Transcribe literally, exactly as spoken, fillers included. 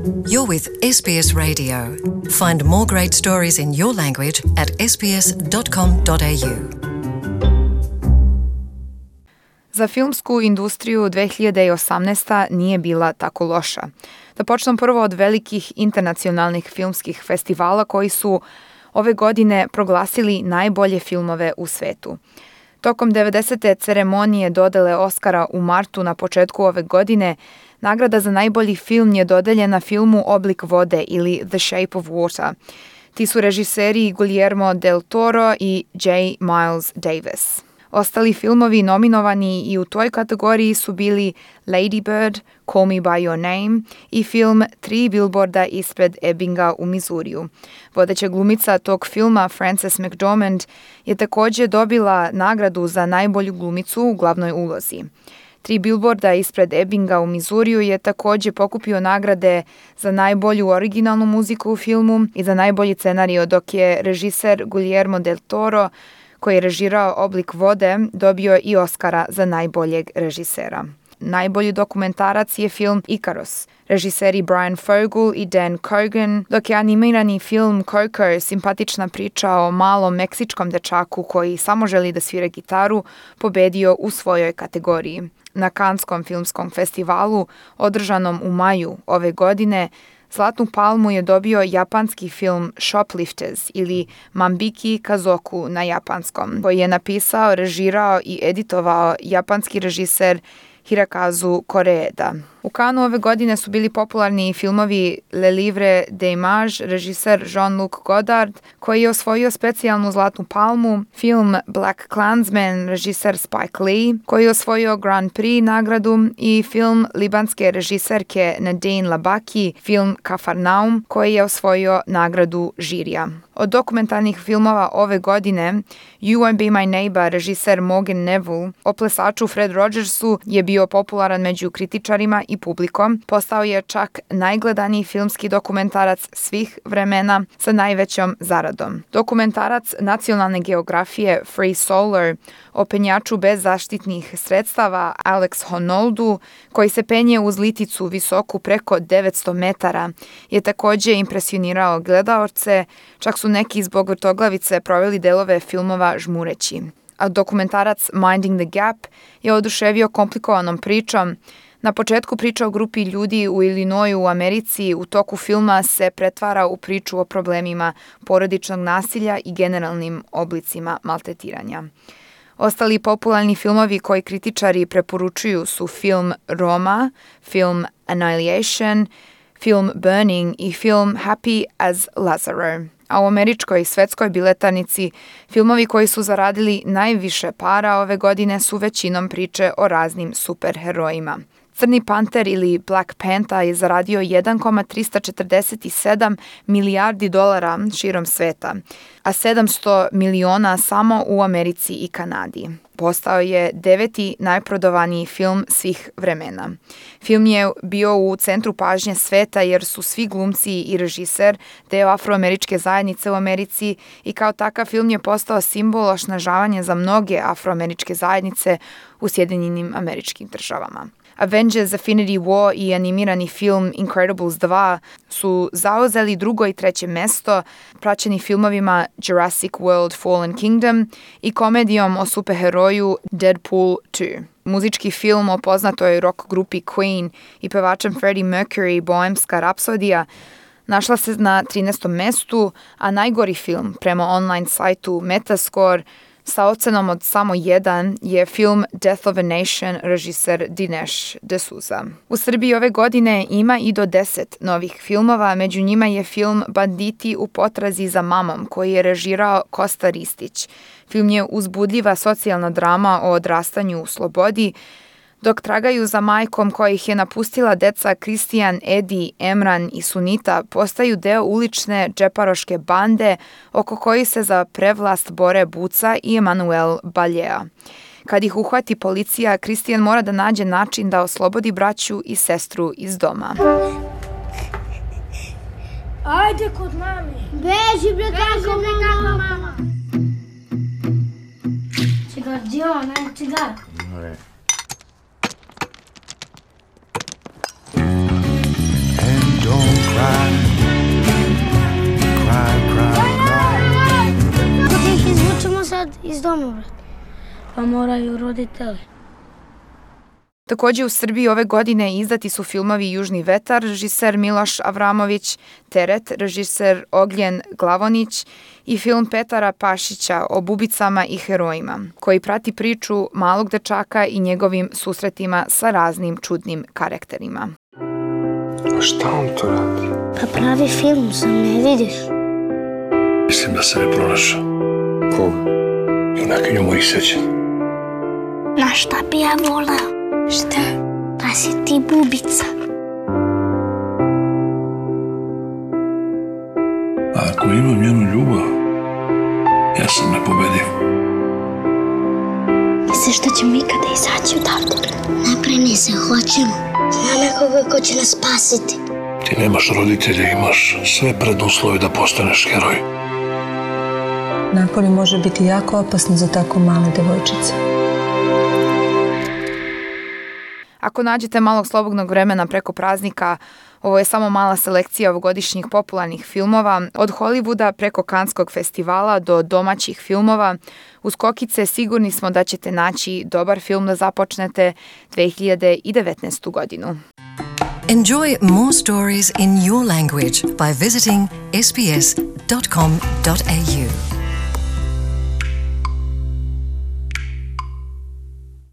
You're with S B S Radio. Find more great stories in your language at s b s dot com dot a u. Za filmsku industriju dve hiljade osamnaesta. nije bila tako loša. Da počnem prvo od velikih internacionalnih filmskih festivala koji su ove godine proglasili najbolje filmove u svetu. Tokom devedesete ceremonije dodele Oskara u martu na početku ove godine, nagrada za najbolji film je dodeljena filmu Oblik vode ili The Shape of Water. Ti su režiseri Guillermo del Toro i J. Miles Davis. Ostali filmovi nominovani i u toj kategoriji su bili Lady Bird, Call Me By Your Name i film Tri bilborda ispred Ebbinga u Missouriju. Vodeća glumica tog filma, Frances McDormand, je također dobila nagradu za najbolju glumicu u glavnoj ulozi. Tri bilborda ispred Ebbinga u Missouriju je također pokupio nagrade za najbolju originalnu muziku u filmu i za najbolji scenario, dok je režiser Guillermo del Toro, koji je režirao Oblik vode, dobio i Oskara za najboljeg režisera. Najbolji dokumentarac je film Icarus, režiseri Brian Fogel i Dan Cogan, dok je animirani film Coco, simpatična priča o malom meksičkom dečaku koji samo želi da svira gitaru, pobedio u svojoj kategoriji. Na Canneskom filmskom festivalu, održanom u maju ove godine, Zlatnu palmu je dobio japanski film Shoplifters ili Mambiki Kazoku na japanskom, koji je napisao, režirao i editovao japanski režiser Hirokazu Koreeda. U Cannesu ove godine su bili popularni filmovi Le Livre des Images, režiser Jean-Luc Godard, koji je osvojio specijalnu Zlatnu palmu, film Black Klansman, režiser Spike Lee, koji je osvojio Grand Prix nagradu, i film libanske režiserke Nadine Labaki, film Kafarnaum, koji je osvojio nagradu žirija. Od dokumentarnih filmova ove godine, You Won't Be My Neighbor, režiser Morgan Neville, o plesaču Fred Rogersu je bio popularan među kritičarima i publikom. Postao je čak najgledaniji filmski dokumentarac svih vremena sa najvećom zaradom. Dokumentarac Nacionalne geografije Free Solar o penjaču bez zaštitnih sredstava Alex Honoldu, koji se penje uz liticu visoku preko devetsto metara, je također impresionirao gledaoce, čak su neki zbog vrtoglavice proveli delove filmova žmureći. A dokumentarac Minding the Gap je oduševio komplikovanom pričom. Na početku priča o grupi ljudi u Illinoisu u Americi u toku filma se pretvara u priču o problemima porodičnog nasilja i generalnim oblicima maltretiranja. Ostali popularni filmovi koji kritičari preporučuju su film Roma, film Annihilation, film Burning i film Happy as Lazaro. A u američkoj i svetskoj biletanici filmovi koji su zaradili najviše para ove godine su većinom priče o raznim superherojima. Crni panter ili Black Panther je zaradio jedan zarez trista četrdeset sedam milijardi dolara širom sveta, a sedamsto miliona samo u Americi i Kanadi. Postao je deveti najprodovaniji film svih vremena. Film je bio u centru pažnje sveta jer su svi glumci i režiser deo afroameričke zajednice u Americi i kao takav film je postao simbol osnažavanja za mnoge afroameričke zajednice u Sjedinjenim Američkim Državama. Avengers Infinity War i animirani film Incredibles dva su zauzeli drugo i treće mesto, praćeni filmovima Jurassic World Fallen Kingdom i komedijom o superheroju Deadpool dva. Muzički film o poznatoj rock grupi Queen i pevačem Freddie Mercury, Bohemska rapsodija, našla se na trinaestom mestu, a najgori film prema online sajtu Metascore sa ocenom od samo jedan je film Death of a Nation, režiser Dinesh D'Souza. U Srbiji ove godine ima i do deset novih filmova, među njima je film Banditi u potrazi za mamom, koji je režirao Kosta Ristić. Film je uzbudljiva socijalna drama o odrastanju u slobodi, dok tragaju za majkom kojih je napustila deca Kristijan, Edi, Emran i Sunita, postaju deo ulične džeparoške bande oko kojih se za prevlast bore Buca i Emanuel Baljea. Kad ih uhvati policija, Kristijan mora da nađe način da oslobodi braću i sestru iz doma. Ajde kod mame. Beži bre, kako mama. Cigar, gdje ona? Cigar. Don't tamo, brate? Pa moraju roditelji. Takođe u Srbiji ove godine izdati su filmovi Južni vetar, režiser Miloš Avramović, Teret, režiser Ognjen Glavonić i film Petara Pašića o bubicama i herojima, koji prati priču malog dečaka i njegovim susretima sa raznim čudnim karakterima. A šta on to radi? Pa pravi film, sam ne vidiš. Mislim da se ne pronašao. Koga? Junakinju mojih sećanja. Na šta bi ja voleo? Šta? Da si ti bubica. A ako imam njenu ljubav, ja sam nepobediv. Misliš da ćemo ikada izaći odavde? Ne brini se, hoćemo. Znam nekoga ko će nas spasiti. Ti nemaš roditelja, imaš sve preduslove da postaneš heroj. Napolje može biti jako opasno za tako male devojčice. Ako nađete malog slobodnog vremena preko praznika, ovo je samo mala selekcija ovogodišnjih popularnih filmova, od Hollywooda preko Kanskog festivala do domaćih filmova. Uz kokice sigurni smo da ćete naći dobar film da započnete dve hiljade devetnaestu godinu. Enjoy more stories in your language by visiting s b s dot com dot a u.